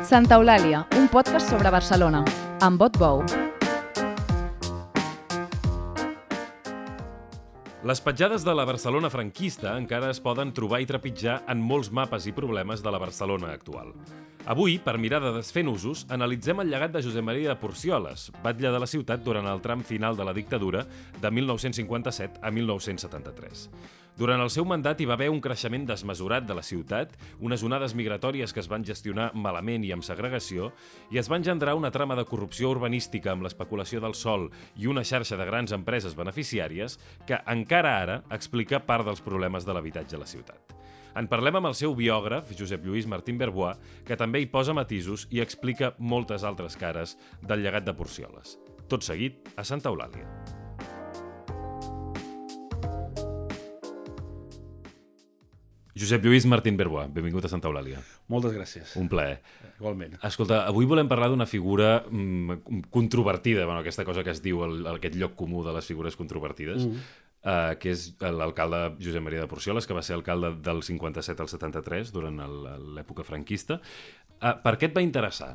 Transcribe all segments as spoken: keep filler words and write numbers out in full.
Santa Eulàlia, un podcast sobre Barcelona, amb Bot Bou. Les petjades de la Barcelona franquista encara es poden trobar i trepitjar en molts mapes i problemes de la Barcelona actual. Avui, per mirar de desfer nusos, analitzem el llegat de Josep Maria de Porcioles, batlle de la ciutat durant el tram final de la dictadura de mil nou-cents cinquanta-set a mil nou-cents setanta-tres. Durant el seu mandat hi va haver un creixement desmesurat de la ciutat, unes onades migratòries que es van gestionar malament i amb segregació, i es va engendrar una trama de corrupció urbanística amb l'especulació del sòl i una xarxa de grans empreses beneficiàries que encara ara explica part dels problemes de l'habitatge a la ciutat. En parlem amb el seu biògraf, Josep Lluís Martín Berbois, que també hi posa matisos i explica moltes altres cares del llegat de Porcioles. Tot seguit, a Santa Eulàlia. Josep Lluís Martín Berbois, benvingut a Santa Eulàlia. Moltes gràcies. Un plaer. Igualment. Escolta, avui volem parlar d'una figura mm, controvertida, bueno, aquesta cosa que es diu, el, aquest lloc comú de les figures controvertides, mm. uh, que és l'alcalde Josep Maria de Porcioles, que va ser alcalde del cinquanta-set al setanta-tres, durant l'època franquista. Uh, per què et va interessar?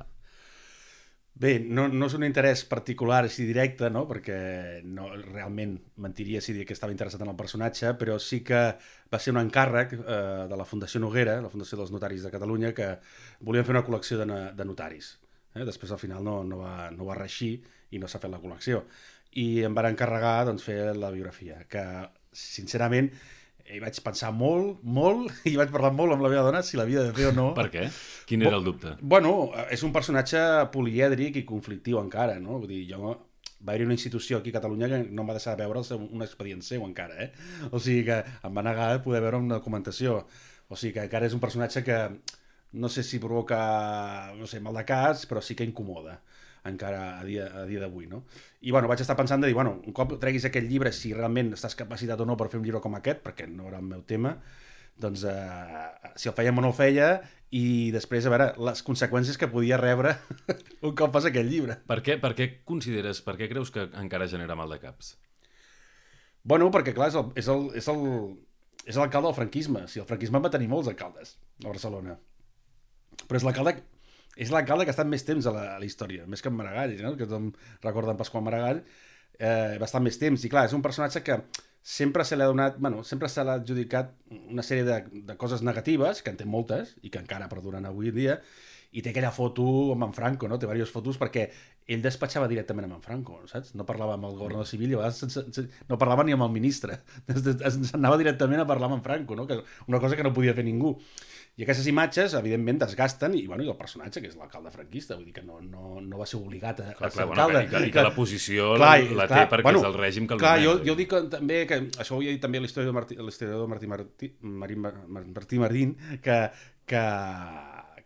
Bé, no, no és un interès particular així directe, no? Perquè no, realment mentiria si diria que estava interessat en el personatge, però sí que va ser un encàrrec eh, de la Fundació Noguera, la Fundació dels Notaris de Catalunya, que volien fer una col·lecció de, de notaris. Eh? Després al final no, no, va, no va reeixir i no s'ha fet la col·lecció. I em van encarregar doncs, fer la biografia, que sincerament hi vaig pensar molt, molt, i vaig parlar molt amb la meva dona si l'havia de fer o no. Per què? Quin era el dubte? Bueno, és un personatge polièdric i conflictiu encara, no? Vull dir, jo... Va haver una institució aquí a Catalunya que no em va deixar veure el seu, un expedient seu encara, eh? O sigui que em va negar de poder veure una documentació. O sigui que encara és un personatge que no sé si provoca, no sé, mal de cas, però sí que incomoda encara a dia, a dia d'avui, no? I bueno, vaig estar pensant de dir, bueno, un cop treguis aquest llibre, si realment estàs capacitat o no per fer un llibre com aquest, perquè no era el meu tema, doncs eh, si el fèiem o no el feia, i després a veure les conseqüències que podia rebre un cop fas aquest llibre. Per què, per què consideres, per què creus que encara genera mal de caps? Bueno, perquè clar, és el, és el, és el, és l'alcalde del franquisme. Si el franquisme va tenir molts alcaldes a Barcelona, però és l'alcalde és l'alcalde que ha estat més temps a la, a la història, més que en Maragall, no? Que tothom recorda en Pasqual Maragall, eh, va estar més temps, i clar, és un personatge que sempre se l'ha donat, bueno, sempre se l'ha adjudicat una sèrie de, de coses negatives, que en té moltes, i que encara perduren avui en dia, i té aquella foto amb en Franco, no? Té diverses fotos perquè ell despatxava directament amb en Franco, saps? No parlava amb el governador civil i a vegades sense, sense, no parlava ni amb el ministre, anava directament a parlar amb en Franco, no? Que una cosa que no podia fer ningú. I aquestes imatges, evidentment, desgasten, i, bueno, i el personatge, que és l'alcalde franquista, vull dir que no, no, no va ser obligat a, clar, a ser clar, alcalde. Bueno, que, I que la posició clar, la clar, té perquè bueno, és el règim que el clar, donem. Jo, jo dic també que, això ho he dit també a l'historiador Martí, l'historiador Martí, Martí, Marín, Martí Marín, que, que,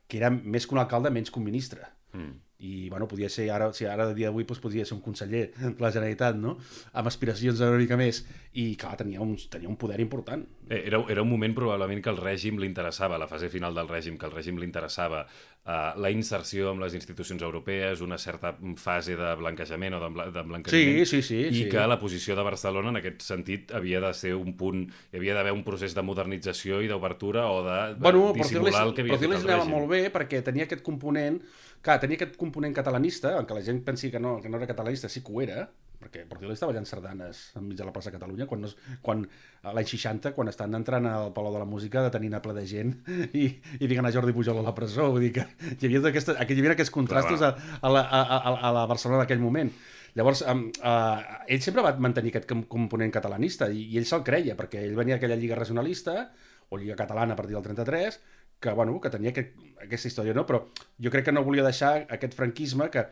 que era més que un alcalde, menys que un ministre. Mm. I, bueno, podia ser, ara, si ara de dia d'avui doncs, podria ser un conseller de la Generalitat, no? Amb aspiracions una mica més. I, clar, tenia un, tenia un poder important. Era, era un moment probablement que el règim li interessava, la fase final del règim, que el règim li interessava uh, la inserció amb les institucions europees, una certa fase de blanquejament o de, de blanquejament, sí, sí, sí, i sí. que la posició de Barcelona en aquest sentit havia de ser un punt, hi havia d'haver un procés de modernització i d'obertura o de, de bueno, dissimular el que havia fet el règim. Però anava molt bé perquè tenia aquest component, clar, tenia aquest component catalanista, aunque la gent pensi que no, que no era catalanista, sí que ho era, perquè Porcioles estava ballant sardanes enmig de la plaça Catalunya quan, no, quan l'any seixanta, quan estan entrant al Palau de la Música, detenint a ple de gent i, i ficant a Jordi Pujol a la presó. Vull dir que hi havia, aquesta, hi havia aquests contrastos a, a, la, a, a, a la Barcelona d'aquell moment. Llavors, um, uh, ell sempre va mantenir aquest component catalanista i, i ell se'l creia, perquè ell venia d'aquella lliga regionalista, o lliga catalana a partir del trenta-tres, que, bueno, que tenia aquest, aquesta història, no? Però jo crec que no volia deixar aquest franquisme que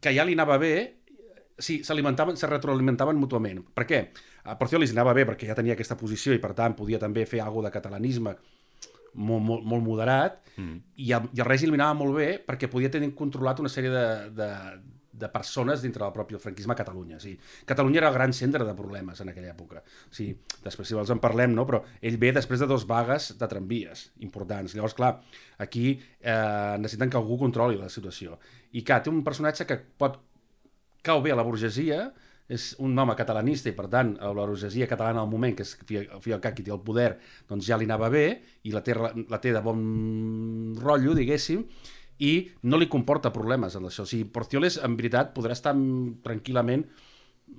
que ja li anava bé, sí, s'alimentaven, se retroalimentaven mútuament. Per què? A Porcioles li anava bé perquè ja tenia aquesta posició i per tant podia també fer alguna de catalanisme molt, molt, molt moderat, mm. i, el, i el règim li anava molt bé perquè podia tenir controlat una sèrie de, de, de persones dintre del propi franquisme a Catalunya. O sigui, Catalunya era el gran centre de problemes en aquella època. O sigui, després si vols en parlem, no? Però ell ve després de dos vagues de tramvies importants. Llavors, clar, aquí eh, necessiten que algú controli la situació. I clar, té un personatge que pot cau bé a la burgesia, és un home catalanista i, per tant, la burgesia catalana al moment, que és Fialcat qui té el poder, doncs ja li anava bé i la té, la té de bon rotllo, diguéssim, i no li comporta problemes en això. O sigui, Porcioles, en veritat, podrà estar tranquil·lament,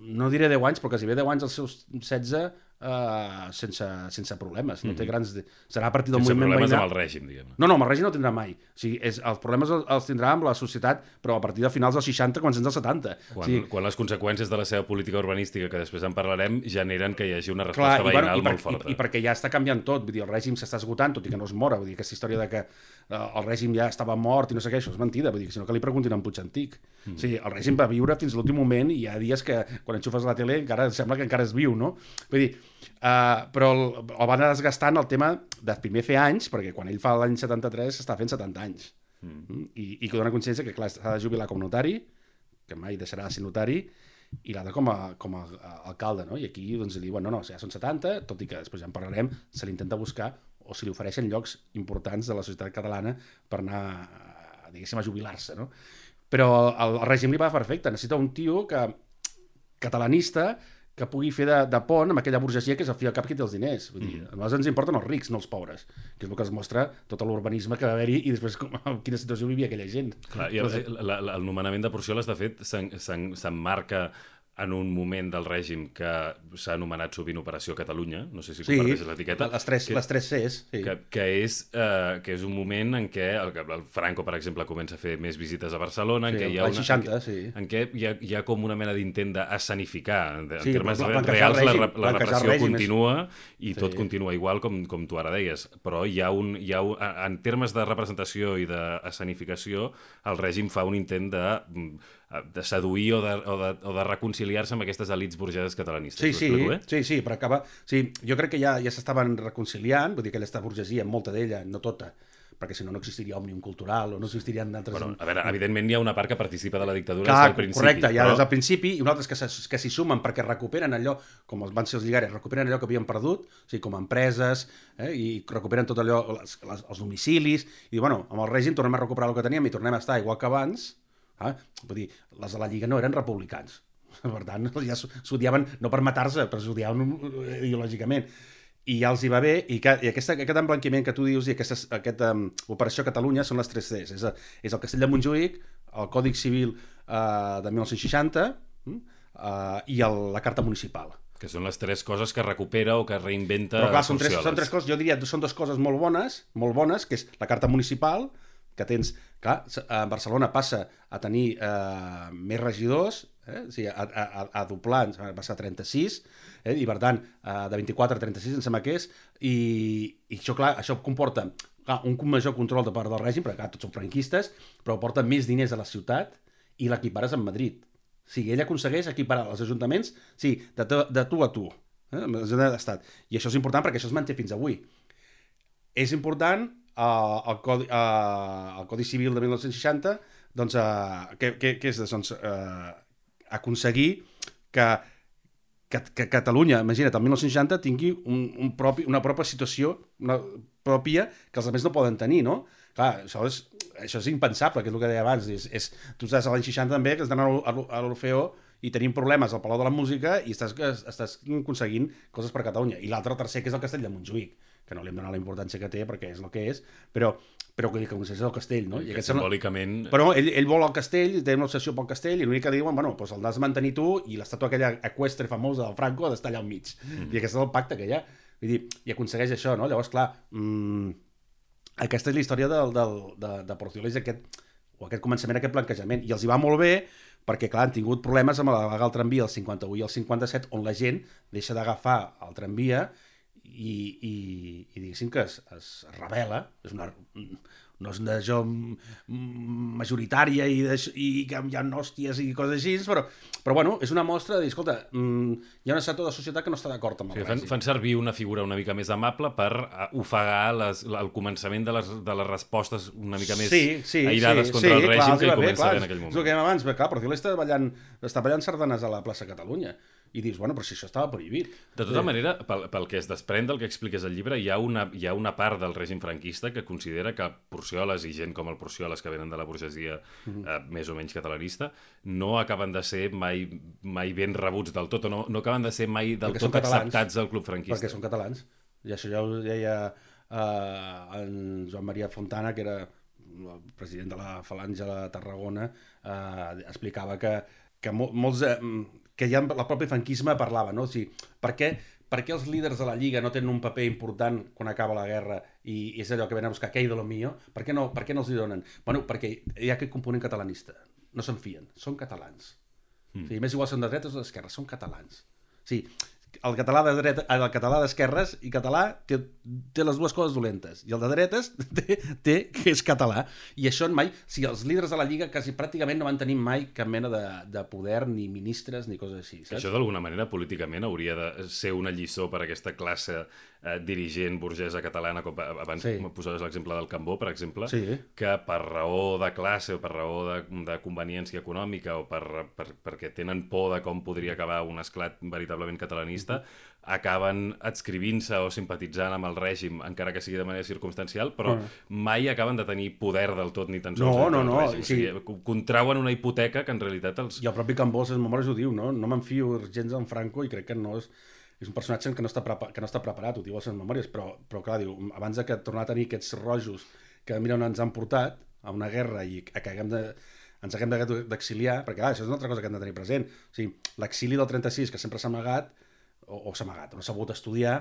no diré deu anys, però quasi bé deu anys als seus setze, Uh, sense, sense problemes, no té grans... De... Serà a partir del sense moviment problemes veïnal... amb el règim, diguem. No, no, amb el règim no tindrà mai. O sigui, és, els problemes els, els tindrà amb la societat, però a partir de finals dels seixanta, començants dels setanta. Quan, o sigui... quan les conseqüències de la seva política urbanística, que després en parlarem, generen que hi hagi una resposta Clar, veïnal i, bueno, i per, molt forta. I, I perquè ja està canviant tot, vull dir, el règim s'està esgotant, tot i que no es mora, vull dir, aquesta història de que uh, el règim ja estava mort i no sé què, això és mentida, vull dir, sinó que li preguntin a en Puig Antic. Mm. O sigui, el règim va viure fins a l'últim moment i hi ha dies que quan enxufes la tele encara sembla que encara es viu, no? Vull dir, uh, però el, el van anar desgastant el tema de primer fer anys, perquè quan ell fa l'any setanta-tres està fent setanta anys. Mm. I, i que dona consciència que, clar, s'ha de jubilar com a notari, que mai deixarà de ser notari, i l'altre com a, com a, a alcalde, no? I aquí doncs, li diuen, no, no, ja són setanta, tot i que després ja en parlarem, se l'intenta buscar o se li ofereixen llocs importants de la societat catalana per anar, diguéssim, a jubilar-se, no? Però el, el règim li va perfecte, necessita un tio que, catalanista, que pugui fer de, de pont amb aquella burgesia que és al fi al cap qui té els diners. Vull dir, a nosaltres ens importen els rics, no els pobres, que és el que es mostra tot l'urbanisme que va haver-hi i després com, en quina situació vivia aquella gent. Clar, i el, el, el nomenament de Porcioles, de fet, s'emmarca en un moment del règim que s'ha anomenat sovint Operació Catalunya, no sé si comparteixes sí, l'etiqueta. Les tres, que, les tres Cs. Sí. Que, que, és, uh, que és un moment en què el, el Franco, per exemple, comença a fer més visites a Barcelona, en sí, què hi ha una, seixanta, en, sí. en què hi ha, hi ha com una mena d'intent d'escenificar. En, en sí, termes reals, règim, la, la repressió règim continua i sí. tot continua igual com, com tu ara deies. Però hi ha un, hi ha un, en termes de representació i d'escenificació, el règim fa un intent de... de seduir o de, o de, o de reconciliar-se amb aquestes elites burgeses catalanistes. Sí, sí, eh? sí, sí, però acaba... Sí, jo crec que ja ja s'estaven reconciliant, vull dir que aquesta burgesia, molta d'ella, no tota, perquè si no no existiria Òmnium Cultural o no existirien d'altres... Bueno, a veure, evidentment hi ha una part que participa de la dictadura Clar, des del principi. Correcte, ja però... des del principi, i uns altres que, que s'hi sumen perquè recuperen allò, com van ser els lligares, recuperen allò que havien perdut, o sigui, com a empreses, eh, i recuperen tot allò, les, les, els domicilis, i bueno, amb el règim tornem a recuperar el que teníem i tornem a estar igual que abans. Ah, vull dir, les de la Lliga no eren republicans, per tant ja s'odiaven no per matar-se, però s'odiaven ideològicament, i ja els hi va bé, i, que, i aquesta, aquest emblanquiment que tu dius i aquesta, aquesta um, Operació Catalunya són les tres Cs, és, és el Castell de Montjuïc, el Còdic Civil uh, de mil nou-cents seixanta uh, i el, la Carta Municipal. Que són les tres coses que recupera o que reinventa Però clar, són tres, Porcioles. són tres coses, jo diria, són dues coses molt bones, molt bones, que és la Carta Municipal, que tens, clar, a Barcelona passa a tenir eh, més regidors, eh? O sigui, a, a, a doblar, va passar a trenta-sis, eh? I per tant, eh, de vint-i-quatre a trenta-sis em sembla que és, i, i això, clar, això comporta clar, un major control de part del règim, perquè clar, tots són franquistes, però porta més diners a la ciutat i l'equipares amb Madrid. O sigui, ell aconsegueix equiparar els ajuntaments, sí, de, tu, de tu a tu, eh? Amb l'Estat. I això és important perquè això es manté fins avui. És important Uh, el, codi, uh, el Codi Civil de mil nou-cents seixanta doncs, uh, què, què, què és doncs, uh, aconseguir que, que, que Catalunya, imagina't, el mil nou-cents seixanta tingui un, un propi, una pròpia situació una pròpia que els altres no poden tenir, no? Clar, això és, això és impensable, que és el que deia abans, és, és, tu estàs a l'any seixanta també, que has d'anar a l'Orfeó i tenim problemes al Palau de la Música i estàs, estàs aconseguint coses per Catalunya. I l'altre, tercer, que és el Castell de Montjuïc, que no li hem donat la importància que té perquè és el que és, però, però que aconsegueix el castell, no? I que simbòlicament... Però ell, ell vol el castell, té una obsessió pel castell, i l'únic que diuen, bueno, doncs el has de mantenir tu i l'estàtua aquella eqüestre famosa del Franco ha d'estar allà al mig. Mm. I aquest és el pacte que hi ha. Vull dir, i aconsegueix això, no? Llavors, clar, mmm, aquesta és la història del, del, de, de Porcioles, aquest, o aquest començament, aquest blanquejament. I els hi va molt bé, perquè, clar, han tingut problemes amb el tramvia el cinquanta-u i el cinquanta-set, on la gent deixa d'agafar el tramvia i, i, i diguéssim que es, es revela, és una, no és una jo majoritària i, de, i que hi ha hòsties i coses així, però, però bueno, és una mostra de dir, escolta, hi ha un sector de societat que no està d'acord amb el sí, fan, fan servir una figura una mica més amable per ofegar les, el començament de les, de les respostes una mica més sí, sí, aïrades sí, contra sí, el règim clar, que hi bé, comença clar, bé en aquell moment. És el que dèiem abans, clar, Porcioles està ballant, està ballant sardanes a la plaça Catalunya. i dius, bueno, però si això estava prohibit. De tota manera, pel, pel que es desprèn del que expliques al llibre, hi ha, una, hi ha una part del règim franquista que considera que Porcioles i gent com el Porcioles que venen de la burgesia mm-hmm. eh, més o menys catalanista no acaben de ser mai, mai ben rebuts del tot, o no, no acaben de ser mai del perquè tot acceptats del club franquista. Perquè són catalans. I això ja ho deia eh, en Joan Maria Fontana, que era el president de la Falange de Tarragona, eh, explicava que, que molts, eh, que ja el propi franquisme parlava, no? O sigui, per què, per què els líders de la Lliga no tenen un paper important quan acaba la guerra i, i és allò que venen a buscar, que hi de lo millor? Per què no, per què no els hi donen? Bueno, perquè hi ha aquest component catalanista. No se'n fien, són catalans. Mm. O sigui, més igual són de dretes o d'esquerres, són catalans. O sigui, el català de dreta, el català d'esquerres i català té, té les dues coses dolentes, i el de dretes té, té que és català, i això mai, o sigui, els líders de la Lliga quasi pràcticament no van tenir mai cap mena de, de poder, ni ministres, ni coses així, saps? Això d'alguna manera políticament hauria de ser una lliçó per a aquesta classe eh, dirigent burgesa catalana, com abans sí. posaves l'exemple del Cambó, per exemple, sí. que per raó de classe o per raó de, de conveniència econòmica o per, per, perquè tenen por de com podria acabar un esclat veritablement catalanista, acaben adscrivint-se o simpatitzant amb el règim, encara que sigui de manera circumstancial, però uh. mai acaben de tenir poder del tot ni tan sols no, no, no. el règim. Sí. O sigui, contrauen una hipoteca que en realitat els... I el propi Cambó, les memòries ho diu, no? No m'enfio gens en Franco i crec que no és... És un personatge que no està, prepa... que no està preparat, ho diu a les memòries, però, però clar, diu, abans de que tornar a tenir aquests rojos que mira on ens han portat, a una guerra i que haguem de... ens haguem d'exiliar, perquè clar, això és una altra cosa que hem de tenir present. O sigui, l'exili del trenta-sis, que sempre s'ha amagat, o, o s'ha amagat, o no s'ha pogut estudiar,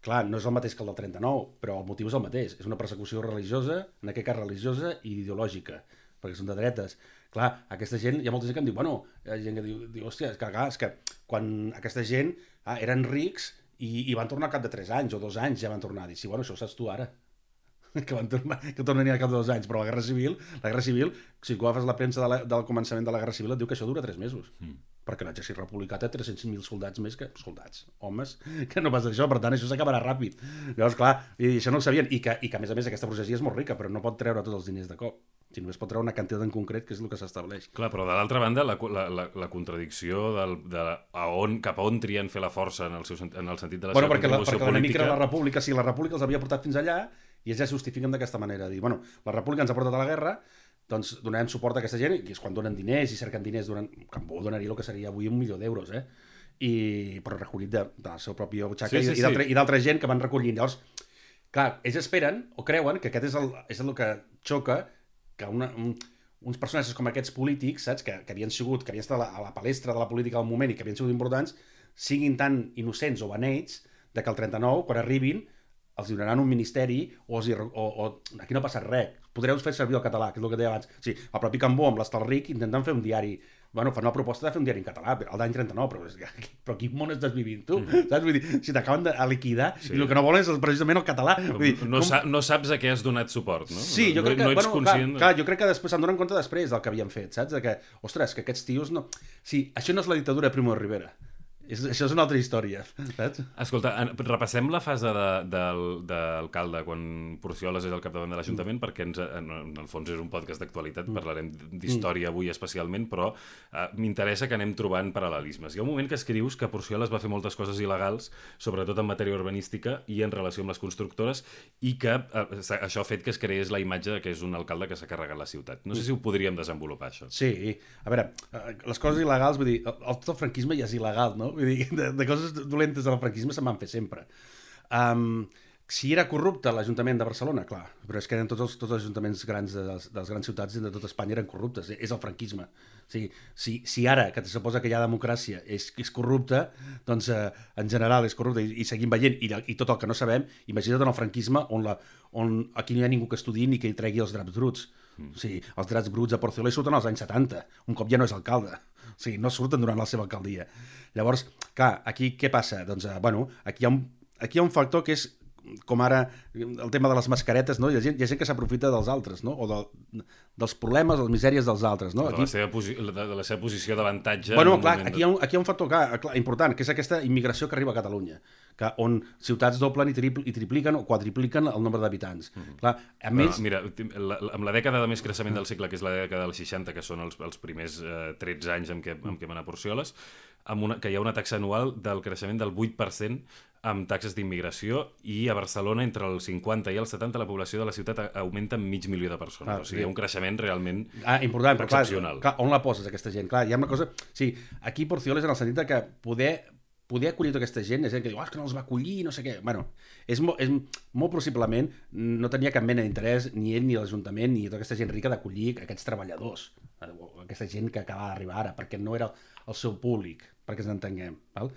clar, no és el mateix que el del trenta-nou, però el motiu és el mateix. És una persecució religiosa, en aquest cas religiosa i ideològica, perquè són de dretes. Clar, aquesta gent, hi ha molta gent que em diu, bueno, hi ha gent que diu, diu hòstia, és que, clar, és que quan aquesta gent ah, eren rics i, i van tornar al cap de tres anys o dos anys ja van tornar a dir, sí, bueno, això ho saps tu ara, que van tornar, que tornarien al cap de dos anys, però la Guerra Civil, la Guerra Civil, si tu agafes la premsa de la, del començament de la Guerra Civil et diu que això dura tres mesos, mm. perquè l'exèrcit republicà té tres-cents mil soldats més que soldats, homes, que no pas això, per tant això s'acabarà ràpid. Llavors, clar, i això no ho sabien, i que, i que a més a més aquesta burgesia és molt rica, però no pot treure tots els diners de cop. Si només pot treure una quantitat en concret, que és el que s'estableix. Clar, però de l'altra banda, la, la, la, la contradicció del, de a on, cap a on trien fer la força en el, seu, en el sentit de la bueno, seva perquè contribució la, perquè política... Perquè la república, si la república els havia portat fins allà, i ells ja justifiquen d'aquesta manera, dir, bueno, la república ens ha portat a la guerra, doncs donarem suport a aquesta gent, i és quan donen diners i cerquen diners, donen, Cambó donaria el que seria avui un milió d'euros, eh? I, però recollit de, de la seva pròpia butxaca sí, sí, i, i d'altra gent que van recollint. Llavors, clar, ells esperen o creuen que aquest és el, és el que xoca, que una, un, uns personatges com aquests polítics, saps, que, que havien sigut, que havien estat a la, a la palestra de la política del moment i que havien sigut importants, siguin tan innocents o beneits de que el trenta-nou, quan arribin, els donaran un ministeri o, els hi, o, o aquí no passa res, podreu fer servir el català, que és el que deia abans. O sigui, el propi Cambó amb l'Estalric intenten fer un diari, bueno, fan una proposta de fer un diari en català, el d'any trenta-nou, però, però quin món estàs vivint tu? Mm. Saps? Vull dir, si t'acaben de liquidar sí. i el que no volen és precisament el català. Vull dir, no, com... sa no saps a què has donat suport, no? Sí, jo crec que, no, no ets bueno, conscient... clar, clar, jo crec que després se'n donen compte després del que havien fet, saps? De que, ostres, que aquests tios no... Sí, això no és la dictadura de Primo de Rivera. És, això és una altra història, saps? Escolta, repassem la fase d'alcalde de, quan Porcioles és al capdavant de l'Ajuntament, perquè ens, en, en el fons és un podcast d'actualitat, mm. parlarem d'història avui especialment, però eh, m'interessa que anem trobant paral·lelismes. Hi ha un moment que escrius que Porcioles va fer moltes coses il·legals, sobretot en matèria urbanística i en relació amb les constructores, i que eh, això ha fet que es creés la imatge que és un alcalde que s'ha carregat la ciutat. No sé si ho podríem desenvolupar, això. Sí, a veure, les coses il·legals, vull dir, el, tot el franquisme ja és il·legal, no? Vull dir, de, de coses dolentes del franquisme se'n van fer sempre. Um, si era corrupte l'Ajuntament de Barcelona, clar, però és que eren tots els, tots els ajuntaments grans de les, de les grans ciutats de tota Espanya eren corruptes, és el franquisme. O sigui, si, si ara, que se suposa que hi ha democràcia, és, és corrupte, doncs eh, en general és corrupte i, i seguim veient, i, i tot el que no sabem, imagina't en el franquisme on, la, on aquí no hi ha ningú que estudiï ni que hi tregui els draps bruts. Mm. O sigui, els drets bruts a Porcioles surten als anys setanta, un cop ja no és alcalde. O sigui, no surten durant la seva alcaldia. Llavors, clar, aquí què passa? Doncs, eh, bueno, aquí hi, ha un, aquí hi ha un factor que és, com ara, el tema de les mascaretes, no? Hi ha gent, hi ha gent que s'aprofita dels altres, no? O de, dels problemes, de les misèries dels altres, no? De, aquí... la, seva posi de, de la seva posició d'avantatge... Bueno, clar, aquí hi, ha un, aquí hi ha un factor clar, clar, important, que és aquesta immigració que arriba a Catalunya, que on ciutats doblen i, tripl i tripliquen o quadripliquen el nombre d'habitants. Mm-hmm. Clar, a més... Mira, la, la, amb la dècada de més creixement del segle, que és la dècada dels seixanta, que són els, els primers eh, tretze anys en què, en què van a Porcioles, amb una, que hi ha una taxa anual del creixement del vuit per cent amb taxes d'immigració, i a Barcelona entre el cinquanta i el setanta la població de la ciutat augmenta en mig milió de persones. Ah, o sigui, hi ha un creixement realment ah, important, excepcional. Clar, clar, on la poses, aquesta gent? Clar, hi ha una cosa... Sí, aquí Porcioles en el sentit que poder, poder acollir tota aquesta gent, és gent que diu, oh, és que no els va acollir, no sé què... Bueno, és, mo, és molt possiblement no tenia cap mena d'interès ni ell ni l'Ajuntament ni tota aquesta gent rica d'acollir aquests treballadors, aquesta gent que acaba d'arribar ara, perquè no era el seu públic, perquè ens entenguem, val?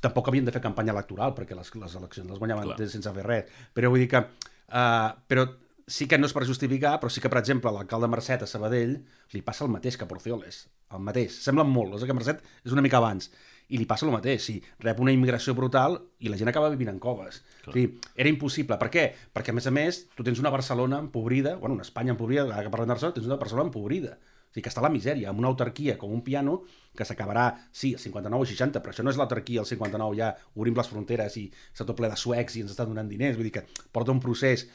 Tampoc havien de fer campanya electoral, perquè les, les eleccions les guanyaven Clar. sense fer res. Però vull dir que... Uh, però sí que no és per justificar, però sí que, per exemple, l'alcalde Mercet a Sabadell li passa el mateix que a Porcioles. El mateix. Semblen molt. O sigui que Mercet és una mica abans. I li passa el mateix. Sí, rep una immigració brutal i la gent acaba vivint en coves. O sigui, era impossible. Per què? Perquè, a més a més, tu tens una Barcelona empobrida, bueno, una Espanya empobrida, ara que parlem de Barcelona, tens una Barcelona empobrida. O sigui, que està a la misèria, amb una autarquia com un piano que s'acabarà, sí, al cinquanta-nou o seixanta, però això no és l'autarquia al cinquanta-nou, ja obrim les fronteres i s'ha tot ple de suecs i ens estan donant diners, vull dir que porta un procés.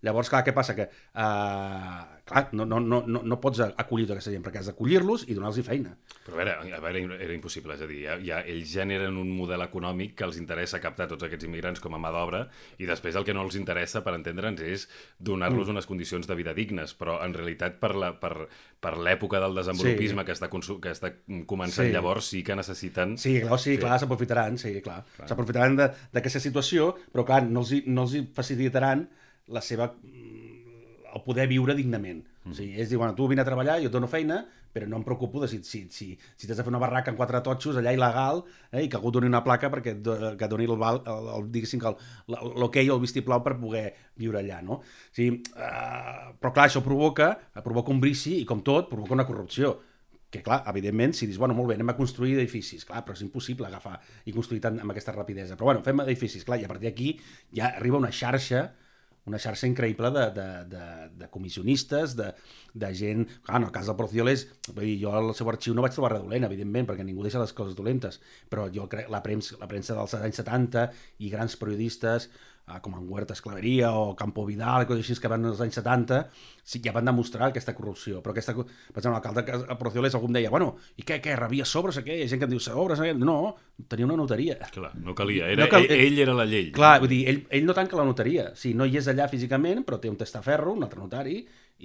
Llavors, clar, què passa? Que, uh, clar, no, no, no, no pots acollir tota aquesta gent, perquè has d'acollir-los i donar-los feina. Però a veure, a veure, era impossible, és a dir, ja, ja, ells generen un model econòmic que els interessa captar tots aquests immigrants com a mà d'obra i després el que no els interessa, per entendre'ns, és donar-los mm. unes condicions de vida dignes, però en realitat per la, per, per l'època del desenvolupisme sí. que, està que està començant sí. llavors sí que necessiten... Sí, clar, sí, sí. clar s'aprofitaran, sí, clar. clar. S'aprofitaran d'aquesta situació, però clar, no els, no els facilitaran la seva... el poder viure dignament. Mm. O sigui, ells diuen, tu vine a treballar, jo et dono feina, però no em preocupo de si, si, si, si t'has de fer una barraca amb quatre totxos allà il·legal, eh, i que algú doni una placa perquè et, que doni el, el, el, el, diguéssim que l'hoquei o el vistiplau per poder viure allà, no? O sigui, uh, però clar, això provoca, provoca un brici i, com tot, provoca una corrupció. Que clar, evidentment, si dius, bueno, molt bé, anem a construir edificis, clar, però és impossible agafar i construir tant amb aquesta rapidesa. Però bueno, fem edificis, clar, i a partir d'aquí ja arriba una xarxa una xarxa increïble de, de, de, de comissionistes, de, de gent... Clar, en el cas del Porcioles, vull dir, jo al seu arxiu no vaig trobar res dolent, evidentment, perquè ningú deixa les coses dolentes, però jo crec la premsa, la premsa dels anys setanta i grans periodistes, eh, com en Huerta Esclaveria o Campo Vidal, coses així que van als anys setanta, sí, ja van demostrar aquesta corrupció. Però aquesta, per exemple, l'alcalde de Porcioles algú em deia, bueno, i què, què, rebia sobres o què? Hi ha gent que em diu sobres, no, tenia una notaria. Clar, no calia, era, no cal... ell, ell era la llei. Clar, vull dir, ell, ell no tanca la notaria, sí, no hi és allà físicament, però té un testaferro, un altre notari,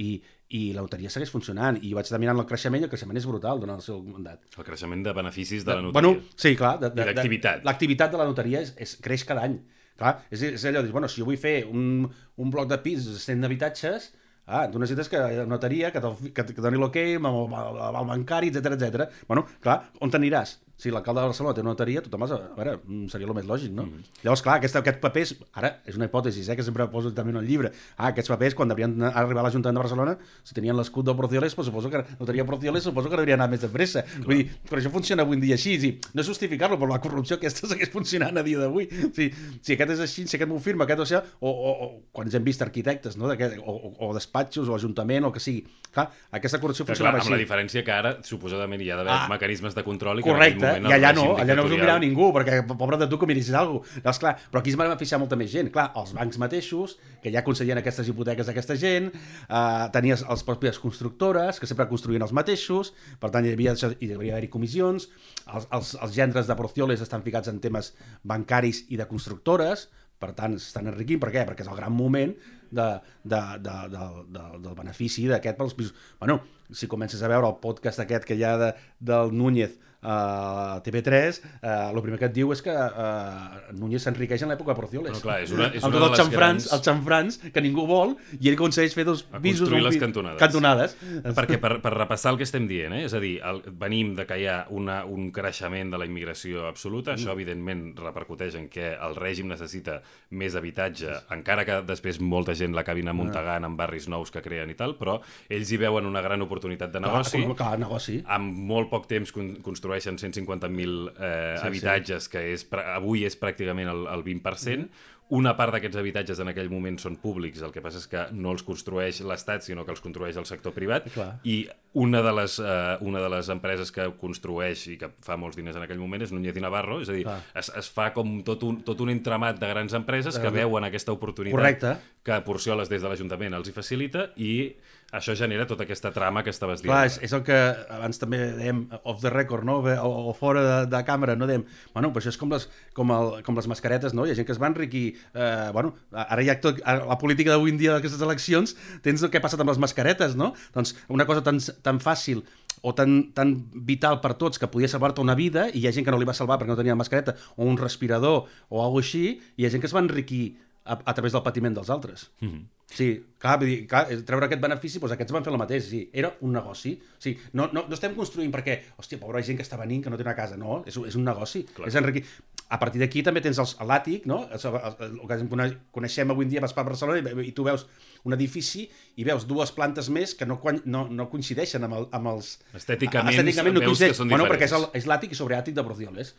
i, i la notaria segueix funcionant. I jo vaig estar mirant el creixement, i el creixement és brutal durant el seu mandat. El creixement de beneficis de, de la notaria. Bueno, sí, clar. De, de, I l'activitat. L'activitat de la notaria és, és, creix cada any. Clar, és, és allò de dir, bueno, si jo vull fer un, un bloc de pis de cent habitatges, ah, tu necessites que la notaria, que, que, que doni l'hoquei, amb el, el, el bancari, etcètera, etcètera. Bueno, clar, on t'aniràs? Si l'alcalde de Barcelona té una notaria, tothom has... A veure, seria el més lògic, no? Mm -hmm. Llavors, clar, aquest, aquest papers... Ara, és una hipòtesi, eh, que sempre poso també en el llibre. Ah, aquests papers, quan deurien arribar a l'Ajuntament de Barcelona, si tenien l'escut del Porcioles, pues, suposo que la notaria Porcioles suposo que hauria anat més de pressa. Clar. Vull dir, però això funciona avui en dia així. Sí, no és justificar-lo, però la corrupció aquesta segueix funcionant a dia d'avui. Sí, si aquest és així, si aquest m'ho firma, aquest o sigui, o, o, o quan hem vist arquitectes, no? o, o, o despatxos, o ajuntament, o el que sigui. Clar, aquesta corrupció funcionava així. Amb la diferència que ara, suposadament, hi ha d'haver ah, mecanismes de control i que correcte, en aquell moment i allà no, allà no us ho mirava ningú, perquè pobre de tu que miris alguna cosa. Llavors, clar, però aquí es va beneficiar molta més gent. Clar, els bancs mateixos, que ja concedien aquestes hipoteques d'aquesta gent, eh, tenies les pròpies constructores, que sempre construïen els mateixos, per tant, hi havia, hi devia haver-hi comissions, els, els, els gendres de Porcioles estan ficats en temes bancaris i de constructores, per tant, s'estan enriquint. Per què? Perquè és el gran moment de, de, de, de, de, del benefici d'aquest pels pisos. Bueno, si comences a veure el podcast aquest que hi ha de, del Núñez a uh, T V tres, el uh, primer que et diu és que uh, Núñez s'enriqueix en l'època de Porcioles. Però clar, és una, és amb una tots els xanfrans, grans... els xanfrans que ningú vol, i ell aconsegueix fer dos a pisos... construir les cantonades. cantonades. Perquè per, per repassar el que estem dient, eh? És a dir, el, venim de que hi ha una, un creixement de la immigració absoluta, mm. això evidentment repercuteix en què el règim necessita més habitatge, sí. encara que després molta gent l'acabin amuntegant en barris nous que creen i tal, però ells hi veuen una gran oportunitat de negoci. Clar, clar, negoci. Amb molt poc temps construeixen cent cinquanta mil eh, sí, habitatges, sí. que és, avui és pràcticament el, el vint per cent, mm. una part d'aquests habitatges en aquell moment són públics, el que passa és que no els construeix l'Estat, sinó que els construeix el sector privat, Clar. i una de, les, uh, una de les empreses que construeix i que fa molts diners en aquell moment és Núñez i Navarro, és a dir, es, es fa com tot un, tot un entramat de grans empreses que veuen aquesta oportunitat Correcte. que Porcioles des de l'Ajuntament els hi facilita, i això genera tota aquesta trama que estaves dient. Clar, és, és el que abans també dèiem off the record, no? o, o fora de, de càmera, no dèiem, bueno, però això és com les, com el, com les mascaretes, no? Hi ha gent que es va enriquir, eh, bueno, ara hi ha tot, la política d'avui en dia d'aquestes eleccions, tens el que ha passat amb les mascaretes, no? Doncs una cosa tan, tan fàcil o tan, tan vital per tots que podia salvar-te una vida, i hi ha gent que no li va salvar perquè no tenia mascareta, o un respirador, o alguna així, i hi ha gent que es va enriquir a, a través del patiment dels altres. Mm-hmm. Sí, clar, vull dir, clar, treure aquest benefici, doncs aquests van fer el mateix, sí, era un negoci. Sí, no, no, no estem construint perquè, hòstia, pobra gent que està venint, que no té una casa, no, és, és un negoci, clar. És enriquir. A partir d'aquí també tens els, l'àtic, no? El, el, el que coneixem avui en dia, vas per Barcelona i, i tu veus un edifici i veus dues plantes més que no, no, no coincideixen amb, el, amb els... Estèticament, estèticament no veus que són bueno, diferents. perquè és, el, és l'àtic i sobreàtic de Porcioles.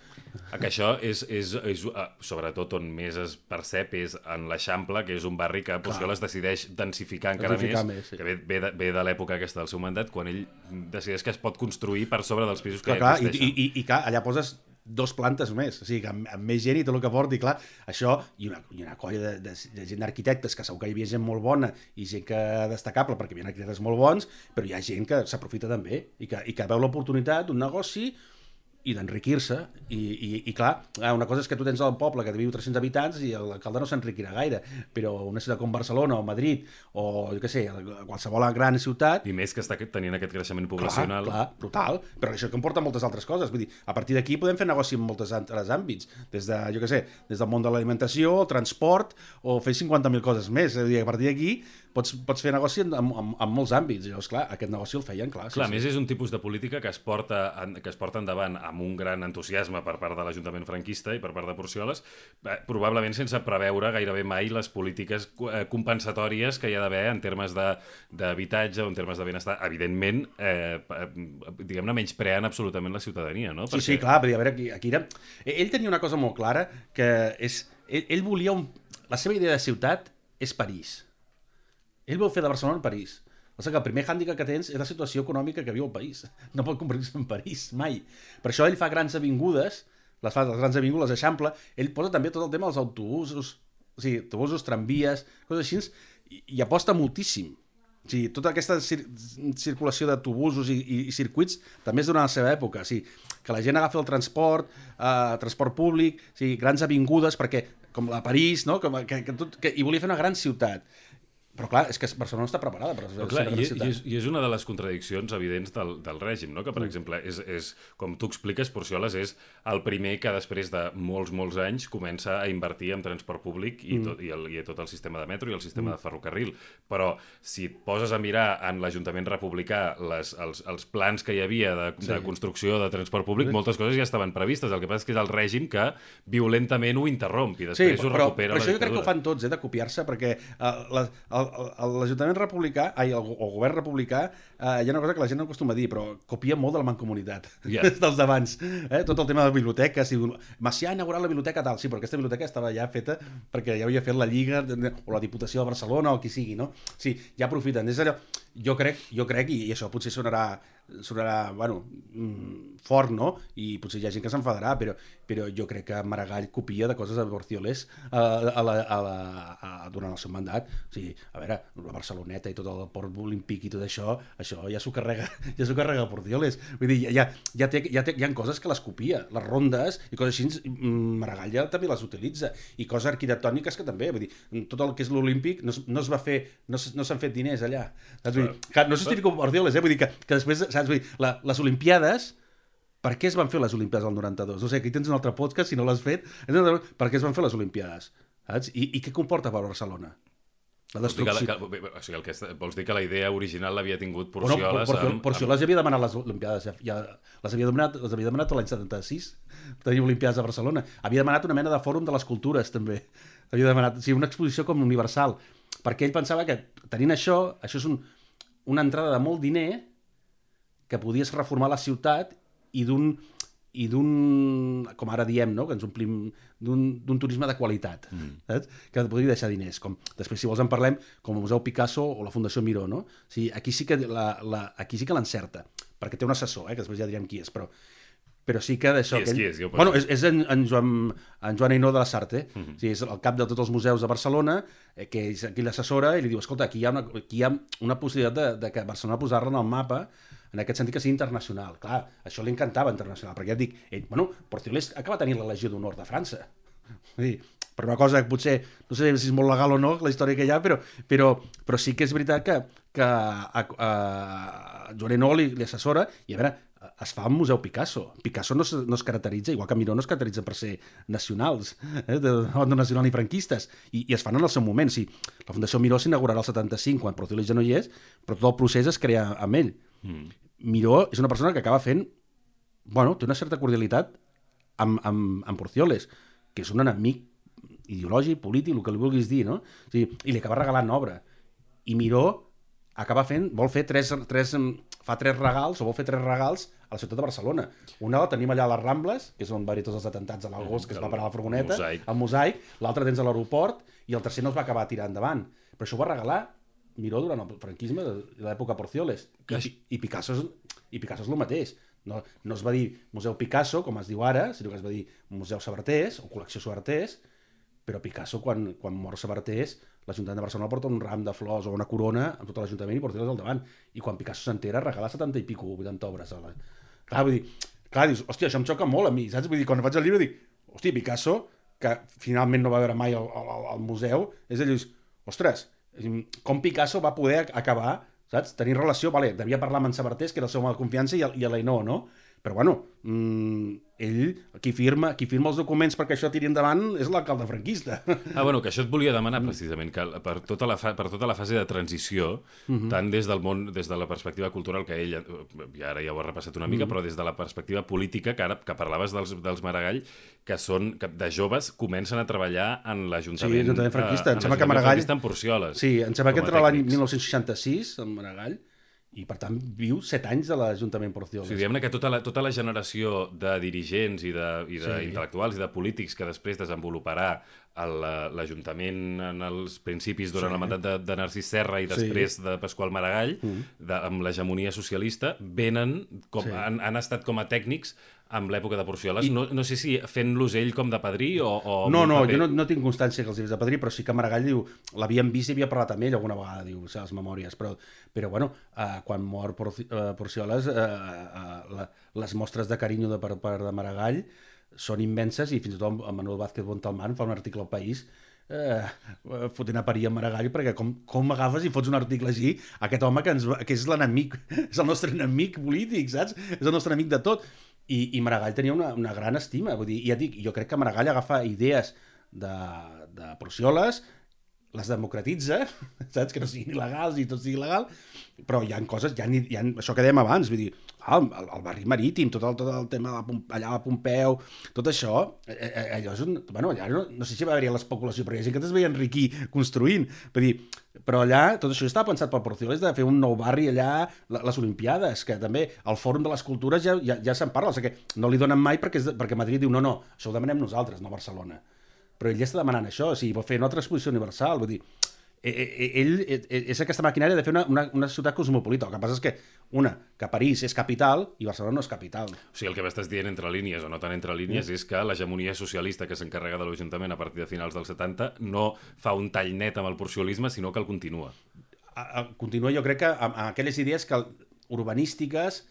Que això és, és, és, sobretot on més es percep és en l'Eixample, que és un barri que Porcioles decideix densificar encara densificar més, més sí. que ve, ve, de, ve de l'època aquesta del seu mandat, quan ell decideix que es pot construir per sobre dels pisos que clar, ja existeixen. I, i, i clar, allà poses dos plantes més, o sigui, que amb, amb més gent i tot el que porti, clar, això, i una, i una colla de, de, de gent d'arquitectes, que segur que hi havia gent molt bona i gent que destacable, perquè hi havia arquitectes molt bons, però hi ha gent que s'aprofita també i que, i que veu l'oportunitat d'un negoci i d'enriquir-se, i, i, i clar, una cosa és que tu tens el poble que viu tres-cents habitants i l'alcalde no s'enriquirà gaire, però una ciutat com Barcelona o Madrid o, jo què sé, qualsevol gran ciutat... I més que està tenint aquest creixement poblacional... Clar, clar, brutal, però això comporta moltes altres coses, vull dir, a partir d'aquí podem fer negoci en molts altres àmbits, des de, jo què sé, des del món de l'alimentació, el transport, o fer cinquanta mil coses més, és a dir, a partir d'aquí pots, pots fer negoci en, en, en molts àmbits, llavors, clar, aquest negoci el feien, clar. Clar, sí, més sí. és un tipus de política que es porta, que es porta endavant amb un gran entusiasme per part de l'Ajuntament franquista i per part de Porcioles, probablement sense preveure gairebé mai les polítiques compensatòries que hi ha d'haver en termes d'habitatge o en termes de benestar. Evidentment, eh, diguem-ne, menyspreant absolutament la ciutadania, no? Sí, Perquè... sí, clar, a veure, aquí, aquí era... Ell tenia una cosa molt clara, que és... Ell, ell volia un... La seva idea de ciutat és París. Ell vol fer de Barcelona en París. O sigui que el primer hàndicap que tens és la situació econòmica que viu el país. No pot convertir-se en París, mai. Per això ell fa grans avingudes, les fa les grans avingudes d'Eixample, ell posa també tot el tema dels autobusos, o sigui, autobusos, tramvies, coses així, i, i aposta moltíssim. O sigui, tota aquesta cir circulació d'autobusos i, i, i circuits també és durant la seva època. O sigui, que la gent agafi el transport, eh, transport públic, o sigui, grans avingudes, perquè, com la París, no? Com, que, que tot, que, i volia fer una gran ciutat. Però clar, és que Barcelona no està preparada per ser clar, una gran i, ciutat. I és, I és una de les contradiccions evidents del, del règim, no? Que per mm. exemple, és, és, com tu expliques, Porcioles és el primer que després de molts, molts anys comença a invertir en transport públic i, mm. tot, i, el, i tot el sistema de metro i el sistema mm. de ferrocarril. Però si et poses a mirar en l'Ajuntament republicà les, els, els plans que hi havia de, sí. de construcció de transport públic, sí. moltes coses ja estaven previstes. El que passa és que és el règim que violentament ho interromp i després sí, ho però, recupera però la això jo crec que ho dictadura. fan tots, eh, de copiar-se, perquè uh, la, el l'Ajuntament republicà, ai, el, el govern republicà, eh, hi ha una cosa que la gent no acostuma a dir, però copia molt de la mancomunitat, yeah. dels d'abans. Eh? Tot el tema de biblioteques, Macià ha inaugurat la biblioteca tal, sí, però aquesta biblioteca estava ja feta perquè ja havia fet la Lliga o la Diputació de Barcelona o qui sigui, no? Sí, ja aprofiten. És allò, jo crec, jo crec, i això potser sonarà, sonarà, bueno, fort, no? I potser hi ha gent que s'enfadarà, però, però jo crec que Maragall copia de coses de Porcioles a, a la, a la, a, durant el seu mandat. O sigui, a veure, la Barceloneta i tot el port olímpic i tot això, això ja s'ho carrega, ja s'ho carrega Porcioles. Vull dir, ja, ja, té, ja té, hi ha coses que les copia, les rondes i coses així, Maragall ja també les utilitza, i coses arquitectòniques que també, vull dir, tot el que és l'olímpic no, no es va fer, no, no s'han fet diners allà. Saps? Vull dir, que no justifico Porcioles, eh? Vull dir que, que després, saps? Vull dir, la, les Olimpiades, per què es van fer les Olimpiades del noranta-dos? No sé, aquí tens un altre podcast, si no l'has fet, per què es van fer les Olimpiades? Saps? I, i què comporta per Barcelona? La destrucció. Vols dir que, la, o sigui, el que, vols dir que la idea original l'havia tingut Porcioles? Bueno, Porcioles, amb, Porcioles amb... havia demanat les Olimpiades, ja, ja, les havia demanat, les havia demanat l'any setanta-sis, tenir Olimpiades a Barcelona. Havia demanat una mena de fòrum de les cultures, també. Havia demanat, o sigui, una exposició com universal, perquè ell pensava que tenint això, això és un, una entrada de molt diner que podies reformar la ciutat i d'un i d'un, com ara diem, no? Que ens omplim d'un turisme de qualitat, mm. saps? Que podria deixar diners. Com, després, si vols, en parlem com el Museu Picasso o la Fundació Miró, no? O sigui, aquí sí que la, la, aquí sí que l'encerta, perquè té un assessor, eh? Que després ja direm qui és, però, però sí que d'això... Qui és, ell... qui és? Jo bueno, és, és en, en, Joan, en Joan Ainó de la Sarte, mm -hmm. o sigui, és el cap de tots els museus de Barcelona, eh, que és qui l'assessora i li diu, escolta, aquí hi ha una, aquí hi ha una possibilitat de, de que Barcelona posar-la en el mapa, en aquest sentit que sigui internacional. Clar, això li encantava internacional, perquè ja et dic, ell, bueno, Porcioles acaba tenint la Legió d'Honor de França. Vull dir, per una cosa que potser, no sé si és molt legal o no, la història que hi ha, però, però, però sí que és veritat que, que a, a, a Joan Ainó li, li assessora, i a veure, es fa un museu Picasso. Picasso no es, no es caracteritza, igual que Miró no es caracteritza per ser nacionals, eh, de, de nacional i franquistes, i, i es fan en el seu moment. Sí, la Fundació Miró s'inaugurarà el setanta-cinc, quan Porcioles ja no hi és, però tot el procés es crea amb ell. Mm. Miró és una persona que acaba fent, bueno, té una certa cordialitat amb, amb, amb Porcioles, que és un enemic ideològic, polític, el que li vulguis dir, no? O sigui, i li acaba regalant obra. I Miró acaba fent, vol fer tres, tres, fa tres regals, o vol fer tres regals a la ciutat de Barcelona. Una la tenim allà a les Rambles, que és on va haver tots els atentats a l'Algós, que es va parar la furgoneta, el Mosaic, l'altre tens a l'aeroport, i el tercer no es va acabar tirant endavant. Però això ho va regalar Miró durant el franquisme de l'època Porcioles. I, i, Picasso és, I Picasso és el mateix. No, no es va dir Museu Picasso, com es diu ara, sinó que es va dir Museu Sabartés o Col·lecció Sabartés, però Picasso, quan, quan mor Sabartés, l'Ajuntament de Barcelona porta un ram de flors o una corona amb tot l'Ajuntament i Porcioles al davant. I quan Picasso s'entera, regala setanta i pico, vuitanta obres. A la... Clar, vull dir, clar, dius, hòstia, això em xoca molt a mi, saps? Vull dir, quan faig el llibre, dic, hòstia, Picasso, que finalment no va veure mai al, al, al museu, és allò, ostres, com Picasso va poder acabar, saps? Tenir relació, vale, devia parlar amb en Sabartés, que era el seu mal de confiança, i, i a l'Ainó, no? Però bueno, mmm, ell, qui firma, qui firma els documents perquè això tiri endavant és l'alcalde franquista. Ah, bueno, que això et volia demanar precisament, que per tota la, fa, per tota la fase de transició, uh-huh. tant des del món, des de la perspectiva cultural, que ell, i ara ja ho ha repassat una mica, uh-huh. però des de la perspectiva política, que ara que parlaves dels, dels Maragall, que són, que de joves comencen a treballar en l'Ajuntament... Sí, l'Ajuntament franquista. En l'Ajuntament franquista en Porcioles. Sí, em sembla que entre l'any mil nou-cents seixanta-sis, en Maragall, i per tant viu set anys de l'Ajuntament Porcioles. Sí, diguem-ne que tota la, tota la generació de dirigents i d'intel·lectuals i, sí. i de polítics que després desenvoluparà l'Ajuntament en els principis durant sí. el mandat de, de Narcís Serra i després sí. de Pasqual Maragall, mm. de, amb l'hegemonia socialista, venen com, sí. han, han estat com a tècnics amb l'època de Porcioles. I... No, no sé si fent-los ell com de padrí o... o no, no, jo no, no tinc constància que els dius de padrí, però sí que Maragall diu, l'havien vist i havia parlat amb ell alguna vegada, diu, les memòries, però, però bueno, eh, quan mor Porcioles, eh, eh, la, les mostres de carinyo de per part de Maragall són immenses, i fins i tot en Manuel Vázquez Montalmán fa un article al País eh, fotent a parir en Maragall, perquè com, com agafes i fots un article així, aquest home que, ens, que és l'enemic, és el nostre enemic polític, saps? És el nostre enemic de tot. I, i Maragall tenia una, una gran estima, vull dir, ja dic, jo crec que Maragall agafa idees de, de Porcioles, les democratitza, saps? Que no siguin il·legals i tot sigui legal, però hi ha coses, hi ha, hi ha això que dèiem abans, vull dir, ah, el, el barri marítim, tot el, tot el tema de la, allà a Pompeu, tot això, eh, eh, allò és un... Bueno, allà no, no sé si va haver-hi l'especulació, però hi ha gent que es veia enriquir construint, vull dir, però allà tot això estava pensat pel Porcioles de fer un nou barri allà, les Olimpiades, que també el Fòrum de les Cultures ja, ja, ja se'n parla, o sigui que no li donen mai perquè, és, perquè Madrid diu no, no, això ho demanem nosaltres, no Barcelona. Però ell ja està demanant això, o sigui, vol fer una altra exposició universal, vull dir, ell és aquesta maquinària de fer una, una, una ciutat cosmopolita. El que passa és que, una, que París és capital i Barcelona no és capital. O sigui, el que m'estàs dient entre línies, o no tan entre línies, mm. és que l'hegemonia socialista que s'encarrega de l'Ajuntament a partir de finals dels setanta no fa un tall net amb el porciolisme, sinó que el continua. A, a, continua, jo crec que amb, amb aquelles idees que, urbanístiques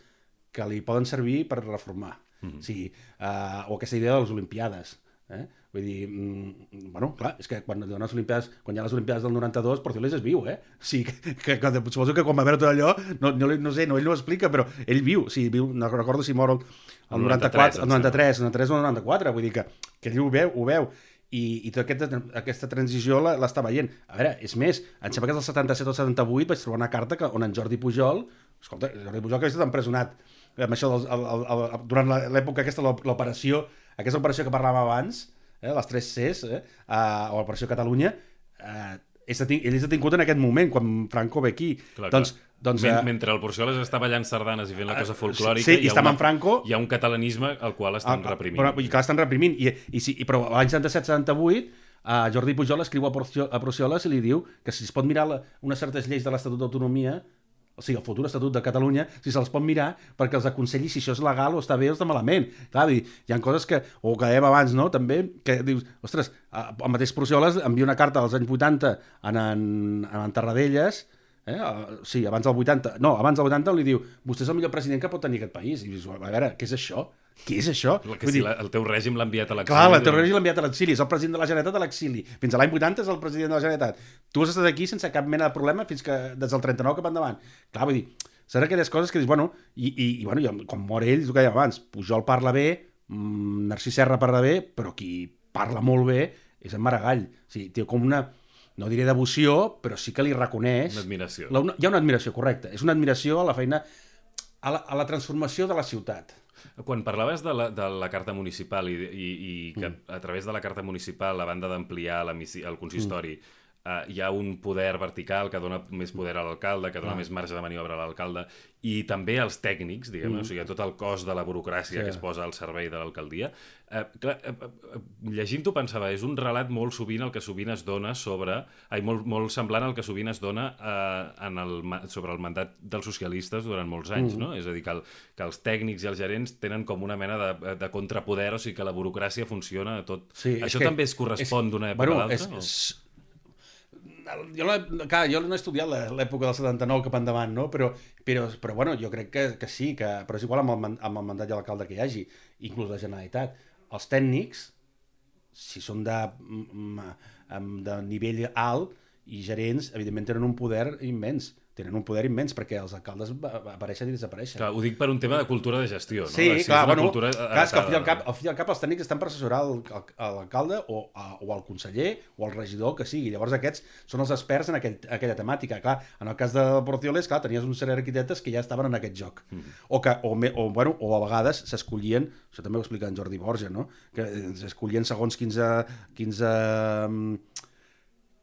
que li poden servir per reformar. Mm-hmm. O sigui, uh, o aquesta idea de les Olimpiades. Eh? Vull dir, mm, bueno, clar, és que quan, les Olimpiades, quan hi ha les Olimpiades del noranta-dos, Porcioles és viu, eh? O sigui, que, que, que suposo que quan va veure tot allò, no, no, no sé, no, ell no ho explica, però ell viu, o sigui, viu, no recordo si mor el, el noranta-quatre, el noranta-tres, el noranta-tres o el noranta-quatre, vull dir que, que ell ho veu, ho veu. I, i tota aquesta, aquesta transició l'està veient. A veure, és més, em sembla que és el setanta-set o setanta-vuit vaig trobar una carta que, on en Jordi Pujol, escolta, Jordi Pujol que havia estat empresonat amb això del, el, el, el, durant l'època aquesta, l'operació, aquesta operació que parlàvem abans, eh, les tres Cs, eh, uh, o l'operació Catalunya, uh, és detingut, ell és detingut en aquest moment, quan Franco ve aquí. Clar, doncs, clar. doncs, Men, uh, mentre el Porcioles està ballant sardanes i fent la cosa folclòrica, sí, hi, ha una, una, Franco, hi ha un catalanisme al qual estan ah, reprimint. Però, i que l'estan reprimint. I, i, sí, i, però l'any setanta-set setanta-vuit uh, Jordi Pujol escriu a, Porcio, a Porcioles i li diu que si es pot mirar la, unes certes lleis de l'Estatut d'Autonomia, o sigui, el futur Estatut de Catalunya, si se'ls pot mirar perquè els aconselli si això és legal o està bé o està malament. Clar, hi ha coses que, o que dèiem abans, no?, també, que dius, ostres, el mateix Porcioles envia una carta als anys vuitanta en, en, en Tarradellas, eh? Sí, abans del vuitanta, no, abans del vuitanta li diu, vostè és el millor president que pot tenir aquest país. I dius, a veure, què és això? Què és això? Que si dir, el teu règim l'ha enviat a l'exili. Clar, el teu règim l'ha enviat a l'exili, és el president de la Generalitat a l'exili. Fins a l'any vuitanta és el president de la Generalitat. Tu has estat aquí sense cap mena de problema fins que des del trenta-nou cap endavant. Clar, vull dir, són aquelles coses que dius, bueno, i, i, i bueno, i, quan mor ell, és el que dèiem abans, Pujol parla bé, mmm, Narcís Serra parla bé, però qui parla molt bé és en Maragall. O sigui, té com una, no diré devoció, però sí que li reconeix... Una admiració. La, una, hi ha una admiració, correcte. És una admiració a la feina, a la, a la transformació de la ciutat. Quan parlaves de la, de la carta municipal i, i, i que mm. a través de la carta municipal, a banda d'ampliar el consistori, mm. uh, hi ha un poder vertical que dona més poder a l'alcalde, que dona ah. més marge de maniobra a l'alcalde, i també als tècnics, diguem, mm. o sigui, tot el cos de la burocràcia sí. que es posa al servei de l'alcaldia. Uh, clar, uh, uh, llegint-ho pensava, és un relat molt sovint el que sovint es dona sobre... Ai, molt, molt semblant al que sovint es dona uh, en el, sobre el mandat dels socialistes durant molts anys, mm. no? És a dir, que, el, que els tècnics i els gerents tenen com una mena de, de contrapoder, o sigui que la burocràcia funciona a tot. Sí, Això que, també es correspon d'una època bueno, a l'altra? És, és... Jo, clar, jo no he estudiat l'època del setanta-nou cap endavant, no? però, però, però bueno, jo crec que, que sí, que, però és igual amb el, amb el mandat de l'alcalde que hi hagi, inclús la Generalitat. Els tècnics, si són de, de nivell alt, i gerents, evidentment tenen un poder immens. Tenen un poder immens, perquè els alcaldes apareixen i desapareixen. Clar, ho dic per un tema de cultura de gestió, no? Sí, si clar, bueno, cultura clar, és que al fi i al cap, al fi i al cap els tècnics estan per assessorar l'alcalde o, o el conseller o el regidor que sigui. Llavors aquests són els experts en aquell, aquella temàtica. Clar, en el cas de Porcioles, clar, tenies un sèrie d'arquitectes que ja estaven en aquest joc. Mm. O, que, o, o, bueno, o a vegades s'escollien, això també ho explica en Jordi Borja, no? Que s'escollien segons quinze... quinze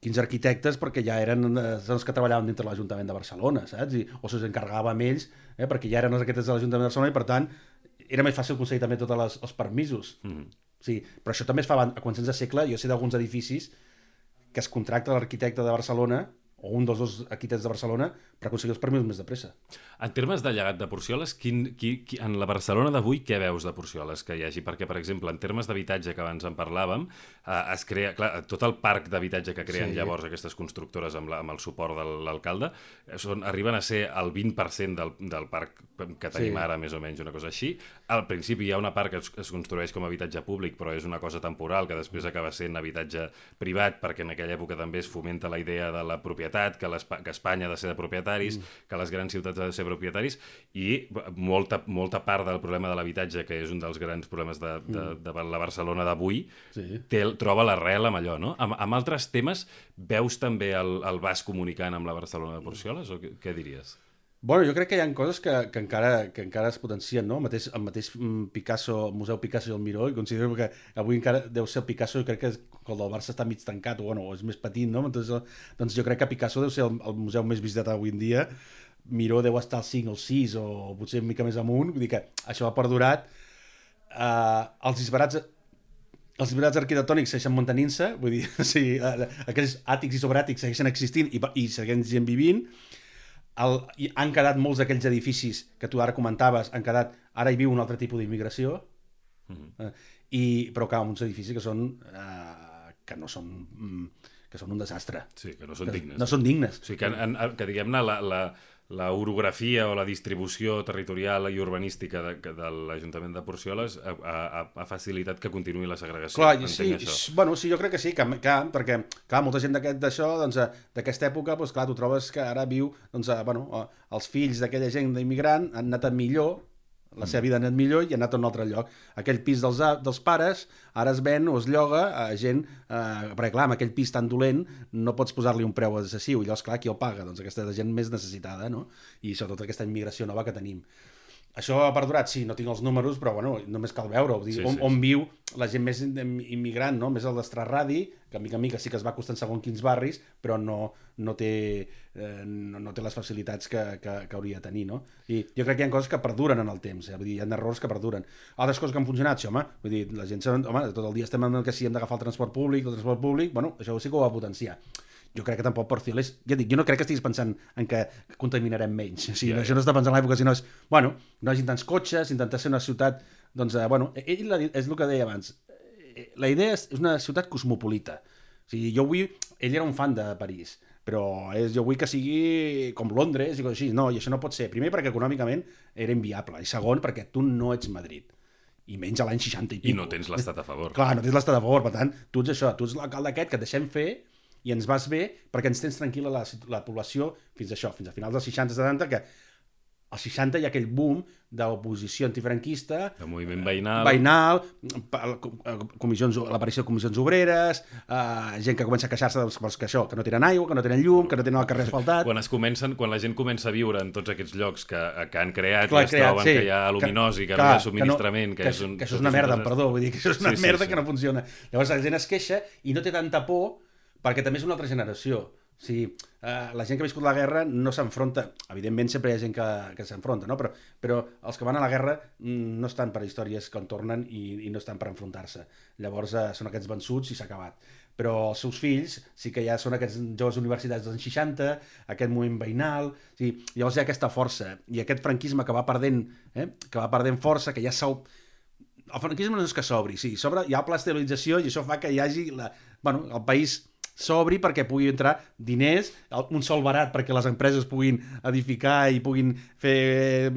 quinze arquitectes perquè ja eren els que treballaven dintre l'Ajuntament de Barcelona, saps? I, o se'ls encarregava amb ells, eh, perquè ja eren els arquitectes de l'Ajuntament de Barcelona i, per tant, era més fàcil aconseguir també tots les, els permisos. Mm-hmm. Sí, però això també es fa a començaments de segle. Jo sé d'alguns edificis que es contracta l'arquitecte de Barcelona o un dels dos arquitectes de Barcelona per aconseguir els permisos més de pressa. En termes de llegat de Porcioles, quin, qui, qui, en la Barcelona d'avui, què veus de Porcioles que hi hagi? Perquè, per exemple, en termes d'habitatge que abans en parlàvem, eh, es crea, clar, tot el parc d'habitatge que creen sí. llavors aquestes constructores amb, la, amb el suport de l'alcalde són, arriben a ser el vint per cent del, del parc que tenim sí. ara, més o menys, una cosa així. Al principi hi ha una part que es, es construeix com a habitatge públic, però és una cosa temporal, que després acaba sent habitatge privat, perquè en aquella època també es fomenta la idea de la propietat, que, que Espanya ha de ser de propietaris, mm. que les grans ciutats han de ser propietaris, i molta, molta part del problema de l'habitatge, que és un dels grans problemes de, de, de la Barcelona d'avui, sí. troba l'arrel amb allò, no? Amb, amb altres temes, veus també el, el Bas comunicant amb la Barcelona de Porcioles, o què, què diries? Bueno, jo crec que hi ha coses que, que, encara, que encara es potencien, no? El mateix, el mateix Picasso, el Museu Picasso i el Miró, i considero que avui encara deu ser el Picasso, jo crec que el del Barça està mig tancat, o, bueno, o és més petit, no? Entonces, doncs jo crec que Picasso deu ser el, el museu més visitat avui en dia, Miró deu estar al cinc o al sis, o potser una mica més amunt, vull dir que això ha perdurat. Uh, els disbarats... Els disbarats arquitectònics segueixen mantenint-se, vull dir, o sigui, aquells àtics i sobreàtics segueixen existint i, i segueixen vivint. El, han quedat molts d'aquells edificis que tu ara comentaves, han quedat, ara hi viu un altre tipus d'immigració, mm-hmm. eh, i, però clar, uns edificis que són eh, que no són que són un desastre. Sí, que no són que dignes. No són dignes. O sigui, que, en, que diguem-ne, la, la, la orografia o la distribució territorial i urbanística de, de l'Ajuntament de Porcioles ha, ha, ha facilitat que continuï la segregació. Clar, sí, bueno, sí, jo crec que sí, que, que, perquè clar, molta gent d'aquest d'això, doncs, d'aquesta època, doncs, clar, tu trobes que ara viu, doncs, bueno, els fills d'aquella gent d'immigrant han anat millor, la seva vida ha anat millor i ha anat a un altre lloc. Aquell pis dels, dels pares ara es ven o es lloga a gent, eh, perquè clar, amb aquell pis tan dolent no pots posar-li un preu excessiu, i llavors clar, qui el paga? Doncs aquesta gent més necessitada, no? I sobretot aquesta immigració nova que tenim. això ha perdurat, sí, no tinc els números, però bueno, només cal veure-ho. Sí, on, sí, on viu la gent més immigrant, no? Més el d'Estrarradi, que a mica a mica sí que es va costant segons quins barris, però no, no, té, eh, no, no té les facilitats que, que, que hauria de tenir, no? I jo crec que hi ha coses que perduren en el temps, eh? Vull dir, hi ha errors que perduren. Altres coses que han funcionat, sí, home, vull dir, la gent, home, tot el dia estem en que si hem d'agafar el transport públic, el transport públic, bueno, això sí que ho va potenciar. Jo crec que tampoc Porcioles, ja dic, jo no crec que estiguis pensant en que contaminarem menys, o sigui, yeah, això no està pensant en l'època, sinó és, bueno, no hagin tants cotxes, intentar ser una ciutat, doncs, eh, bueno, ell és el que deia abans, la idea és una ciutat cosmopolita, o sigui, jo vull, ell era un fan de París, però és, jo vull que sigui com Londres i coses així, no, i això no pot ser, primer perquè econòmicament era inviable, i segon perquè tu no ets Madrid, i menys a l'any seixanta i pico. I no tens l'estat a favor. Clar, no tens l'estat a favor, per tant, tu ets això, tu ets l'alcalde aquest que et deixem fer i ens vas bé perquè ens tens tranquil·la la, la població fins a això, fins a finals dels seixanta setanta, que als seixanta hi ha aquell boom d'oposició antifranquista, de moviment veïnal, veïnal comissions, l'aparició de comissions obreres, eh, gent que comença a queixar-se doncs, que això, que no tenen aigua, que no tenen llum, que no tenen el carrer asfaltat. Quan, es comencen, quan la gent comença a viure en tots aquests llocs que, que han creat Clar, i es creat, troben sí, que hi ha aluminosi, que, que no hi ha subministrament, que, no, que, que, és un, que això és una merda, perdó, vull dir que això és una sí, merda sí, sí. que no funciona. Llavors la gent es queixa i no té tanta por perquè també és una altra generació. O sigui, eh, la gent que ha viscut la guerra no s'enfronta, evidentment sempre hi ha gent que, que s'enfronta, no? però, però els que van a la guerra no estan per històries que en tornen i, i no estan per enfrontar-se. Llavors eh, són aquests vençuts i s'ha acabat. Però els seus fills sí que ja són aquests joves universitats dels anys seixanta, aquest moviment veïnal, o sigui, llavors hi ha aquesta força i aquest franquisme que va perdent, eh, que va perdent força, que ja s'ha... El franquisme no és que s'obri, sí, s'obre, hi ha plastabilització i això fa que hi hagi la... bueno, el país s'obri perquè pugui entrar diners, un sol barat perquè les empreses puguin edificar i puguin fer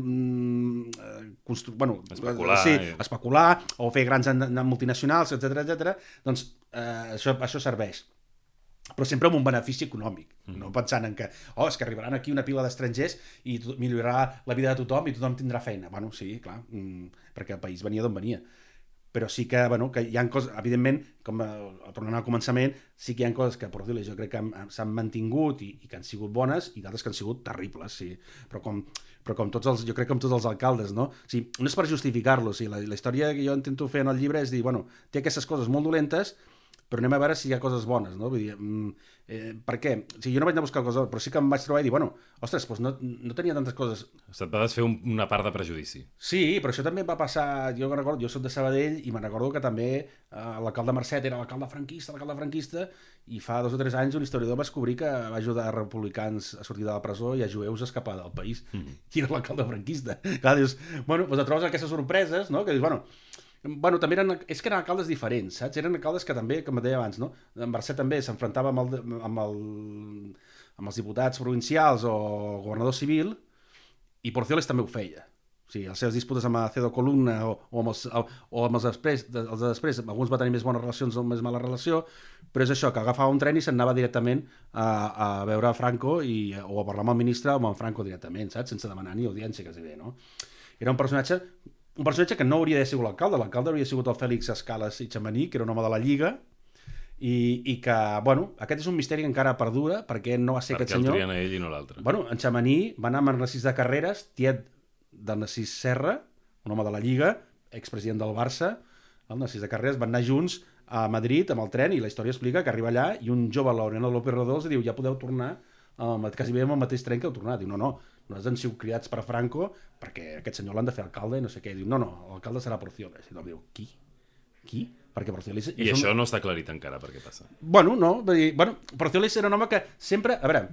constru... bueno, especular, sí, especular o fer grans multinacionals, etcètera, etcètera. Doncs eh, això, això serveix. Però sempre amb un benefici econòmic, mm. no pensant en que, oh, és que arribaran aquí una pila d'estrangers i millorarà la vida de tothom i tothom tindrà feina. Bueno, sí, clar, perquè el país venia d'on venia. Però sí que, bueno, que hi ha coses, evidentment, com tornant al començament, sí que hi ha coses que, per dir-li, jo crec que s'han mantingut i, i que han sigut bones i d'altres que han sigut terribles, sí. Però com, però com tots els, jo crec que com tots els alcaldes, no? O sigui, no és per justificar-lo, sí. la, la història que jo intento fer en el llibre és dir, bueno, té aquestes coses molt dolentes, però anem a veure si hi ha coses bones, no? Vull dir, eh, per què? O sigui, jo no vaig anar a buscar coses, però sí que em vaig trobar i dir, bueno, ostres, doncs no, no tenia tantes coses. Se't va desfer un, una part de prejudici. Sí, però això també em va passar, jo recordo, jo soc de Sabadell i me'n recordo que també eh, l'alcalde Marcet era l'alcalde franquista, l'alcalde franquista, i fa dos o tres anys un historiador va descobrir que va ajudar a republicans a sortir de la presó i a jueus a escapar del país. Mm. I era l'alcalde franquista. Clar, dius, bueno, doncs et trobes aquestes sorpreses, no? Que dius, bueno, Bueno, també eren, és que eren alcaldes diferents, saps? Eren alcaldes que també, com et deia abans, no? En Mercè també s'enfrontava amb, el, amb, el, amb els diputats provincials o governador civil i Porcioles també ho feia. O sigui, les seves disputes amb Acedo Columna o, o amb els, o amb els després, els de després, alguns va tenir més bones relacions o més mala relació, però és això, que agafava un tren i se'n anava directament a, a veure a Franco i, o a parlar amb el ministre o amb en Franco directament, saps? Sense demanar ni audiència, quasi bé, no? Era un personatge... Un personatge que no hauria de ser l'alcalde, l'alcalde hauria sigut el Fèlix Escales i Xamaní, que era un home de la Lliga, i, i que, bueno, aquest és un misteri que encara perdura, perquè no va ser perquè aquest senyor... Perquè el trien a ell i no l'altre. Bueno, en Xamaní va anar amb en Narcís de Carreras, tiet de Narcís Serra, un home de la Lliga, expresident del Barça, el Narcís de Carreras, van anar junts a Madrid amb el tren, i la història explica que arriba allà i un jove, Laureano López Rodó, els diu, ja podeu tornar, um, quasi bé amb el mateix tren que heu tornat. Diu, no, no, nosaltres han sigut criats per Franco perquè aquest senyor l'han de fer alcalde i no sé què. Diu, no, no, l'alcalde serà Porcioles. I diu, qui? Qui? Perquè Porcioles... I això un... no està aclarit encara per què passa. Bueno, no, vull dir, bueno, Porcioles era un home que sempre... A veure,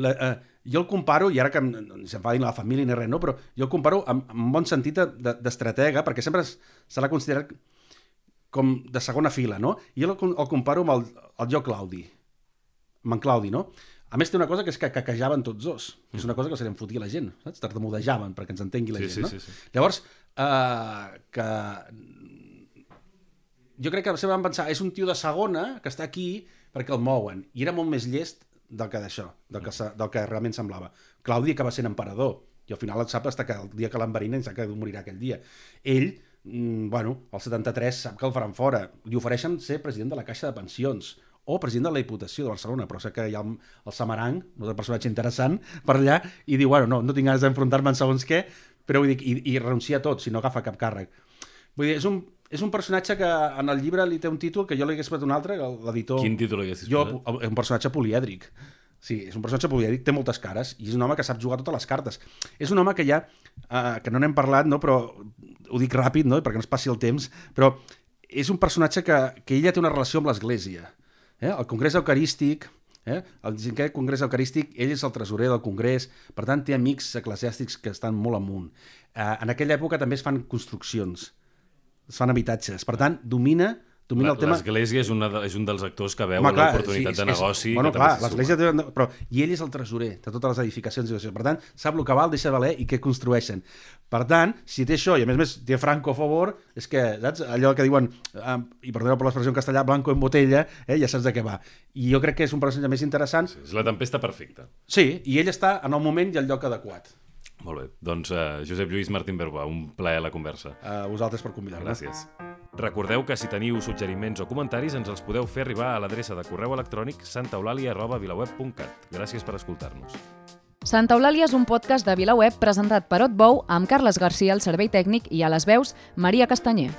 la, eh, jo el comparo, i ara que no se'n fa dir la família ni res, no? Però jo el comparo amb, amb bon sentit d'estratega, perquè sempre se l'ha considerat com de segona fila, no? I jo el, el comparo amb el, el jo Claudi, amb en Claudi, no? A més, té una cosa que és que caquejaven tots dos. Mm. És una cosa que se li enfotia a la gent, saps? Tartamudejaven perquè ens entengui la sí, gent, sí, no? Sí, sí. Llavors, eh, que... jo crec que sempre van pensar, és un tio de segona que està aquí perquè el mouen. I era molt més llest del que d'això, del que, del que realment semblava. Claudi acaba sent emperador, i al final et sap fins que el dia que l'enverinen sap que morirà aquell dia. Ell, bueno, al setanta-tres sap que el faran fora. Li ofereixen ser president de la Caixa de Pensions, o president de la Diputació de Barcelona, però sé que hi ha el Samaranc, un personatge interessant per allà, i diu, bueno, no, no tinc ganes d'enfrontar-me en segons què, però vull dir, i, i renuncia a tot si no agafa cap càrrec. Vull dir, és un, és un personatge que en el llibre li té un títol que jo li hagués posat un altre, l'editor... Quin títol li haguessis posat? Jo, un personatge polièdric. Sí, és un personatge polièdric, té moltes cares i és un home que sap jugar totes les cartes. És un home que ja, uh, que no n'hem parlat, no? Però ho dic ràpid, no? Perquè no es passi el temps, però és un personatge que, que ella té una relació amb l'Església. Eh? El Congrés Eucarístic, eh? el cinquè Congrés Eucarístic, ell és el tresorer del Congrés, per tant té amics eclesiàstics que estan molt amunt. Uh, en aquella època també es fan construccions, es fan habitatges, per tant domina... L'Església és, de, és un dels actors que veuen l'oportunitat sí, de negoci. És, bueno, clar, l'Església té, però, i ell és el tresorer de totes les edificacions. Per tant, sap el que val, deixa valer i què construeixen. Per tant, si té això, i a més a més té Franco a favor, és que, saps, allò que diuen, eh, i perdoneu per l'expressió en castellà, blanco en botella, eh, ja saps de què va. I jo crec que és un personatge més interessant. Sí, és la tempesta perfecta. Sí, i ell està en el moment i el lloc adequat. Molt bé, doncs uh, Josep Lluís Martín Berba, un plaer la conversa. A uh, vosaltres per convidar-me. Gràcies. Recordeu que si teniu suggeriments o comentaris ens els podeu fer arribar a l'adreça de correu electrònic santaeulàlia arroba vilaweb punt cat. Gràcies per escoltar-nos. Santa Eulàlia és un podcast de VilaWeb presentat per Otbou amb Carles Garcia al servei tècnic i a les veus Maria Castanyer.